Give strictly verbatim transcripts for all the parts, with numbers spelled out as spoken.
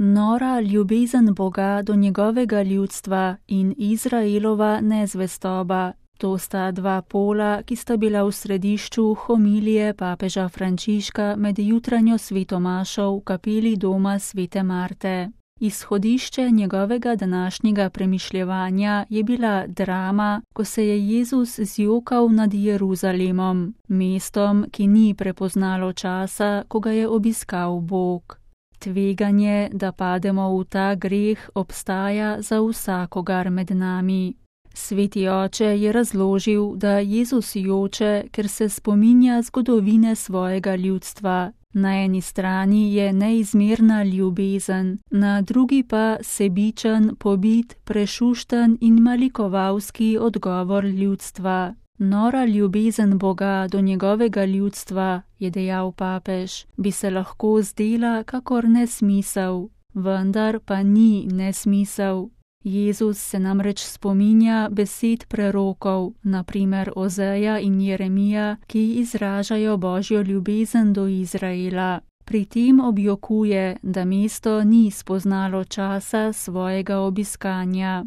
Nora ljubezen Boga do njegovega ljudstva in Izraelova nezvestoba. To sta dva pola, ki sta bila v središču homilije papeža Frančiška med jutranjo svetomašo v kapeli doma svete Marte. Izhodišče njegovega današnjega premišljevanja je bila drama, ko se je Jezus zjokal nad Jeruzalemom, mestom, ki ni prepoznalo časa, ko ga je obiskal Bog. Tveganje, da pademo v ta greh, obstaja za vsakogar med nami. Sveti oče je razložil, da Jezus joče, ker se spominja zgodovine svojega ljudstva. Na eni strani je neizmerna ljubezen, na drugi pa sebičen, pobit, prešušten in malikovalski odgovor ljudstva. Nora ljubezen Boga do njegovega ljudstva, je dejal papež, bi se lahko zdela kakor nesmisel, vendar pa ni nesmisel. Jezus se namreč spominja besed prerokov, na primer Ozeja in Jeremija, ki izražajo Božjo ljubezen do Izraela. Pri tem objokuje, da mesto ni spoznalo časa svojega obiskanja.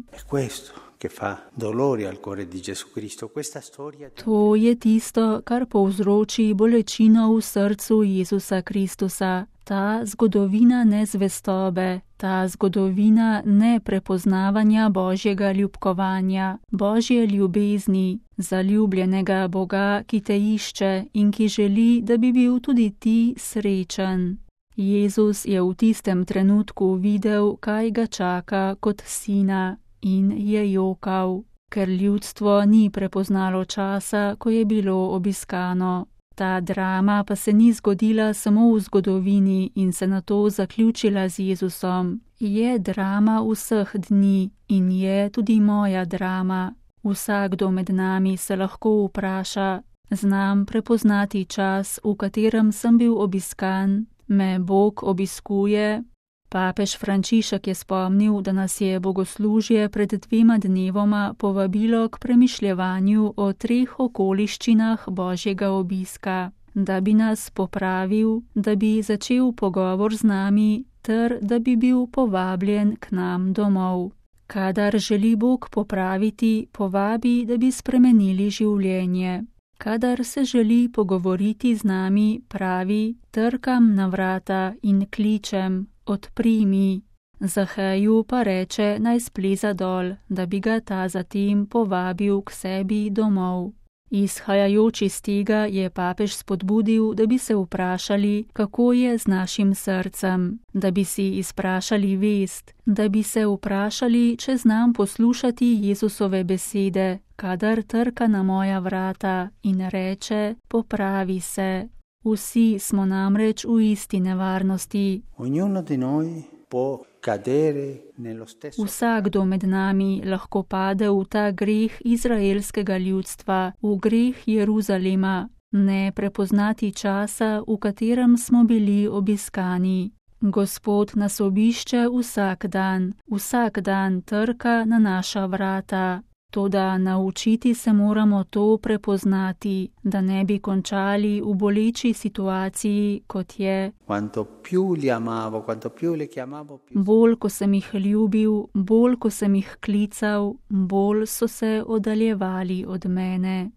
To je tisto, kar povzroči bolečino v srcu Jezusa Kristusa. Ta zgodovina nezvestobe, ta zgodovina neprepoznavanja Božjega ljubkovanja, Božje ljubezni, zaljubljenega Boga, ki te išče in ki želi, da bi bil tudi ti srečen. Jezus je v tistem trenutku videl, kaj ga čaka kot sina, in je jokal, ker ljudstvo ni prepoznalo časa, ko je bilo obiskano. Ta drama pa se ni zgodila samo v zgodovini in se nato zaključila z Jezusom. Je drama vseh dni in je tudi moja drama. Vsakdo med nami se lahko vpraša, znam prepoznati čas, v katerem sem bil obiskan, me Bog obiskuje. Papež Frančišek je spomnil, da nas je bogoslužje pred dvema dnevoma povabilo k premišljevanju o treh okoliščinah Božjega obiska, da bi nas popravil, da bi začel pogovor z nami, ter da bi bil povabljen k nam domov. Kadar želi Bog popraviti, povabi, da bi spremenili življenje. Kadar se želi pogovoriti z nami, pravi, trkam na vrata in kličem, odpri mi. Zaheju pa reče, naj spleza dol, da bi ga ta zatem povabil k sebi domov. Izhajajoč iz tega je papež spodbudil, da bi se vprašali, kako je z našim srcem, da bi si izprašali vest, da bi se vprašali, če znam poslušati Jezusove besede, kadar trka na moja vrata in reče, popravi se. Vsi smo namreč v isti nevarnosti. Vsakdo med nami lahko pade v ta greh izraelskega ljudstva, v greh Jeruzalema, ne prepoznati časa, v katerem smo bili obiskani. Gospod nas obišče vsak dan, vsak dan trka na naša vrata. Toda naučiti se moramo to prepoznati, da ne bi končali v boleči situaciji, kot je: bolj, ko sem jih ljubil, bolj, ko sem jih klical, bolj so se oddaljevali od mene.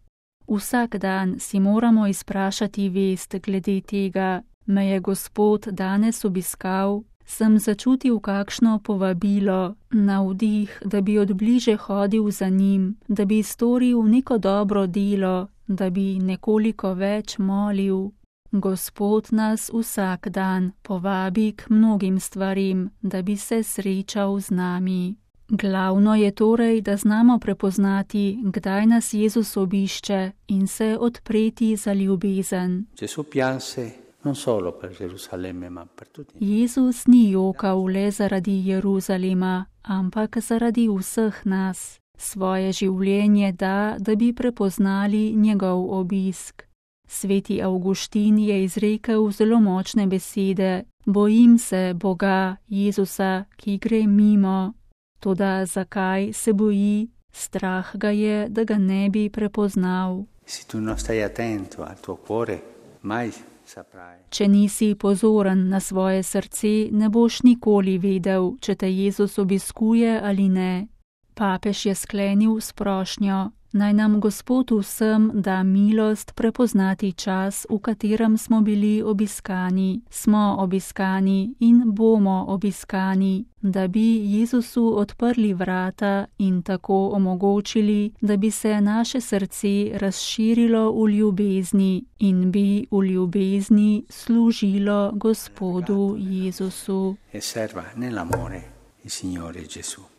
Vsak dan si moramo izprašati vest glede tega, me je Gospod danes obiskal. Sem začutil kakšno povabilo, navdih, da bi odbliže hodil za njim, da bi storil neko dobro delo, da bi nekoliko več molil. Gospod nas vsak dan povabi k mnogim stvarim, da bi se srečal z nami. Glavno je torej, da znamo prepoznati, kdaj nas Jezus obišče in se odpreti za ljubezen. Jezus ni jokal le zaradi Jeruzalema, ampak zaradi vseh nas. Svoje življenje da, da bi prepoznali njegov obisk. Sveti Avguštin je izrekel zelo močne besede: bojim se Boga, Jezusa, ki gre mimo. Toda zakaj se boji? Strah ga je, da ga ne bi prepoznal. Se tu non stai attento al tuo cuore, mai Če nisi pozoren na svoje srce, ne boš nikoli vedel, če te Jezus obiskuje ali ne. Papež je sklenil s prošnjo: naj nam Gospod vsem da milost prepoznati čas, v katerem smo bili obiskani, smo obiskani in bomo obiskani, da bi Jezusu odprli vrata in tako omogočili, da bi se naše srce razširilo v ljubezni in bi v ljubezni služilo Gospodu Jezusu.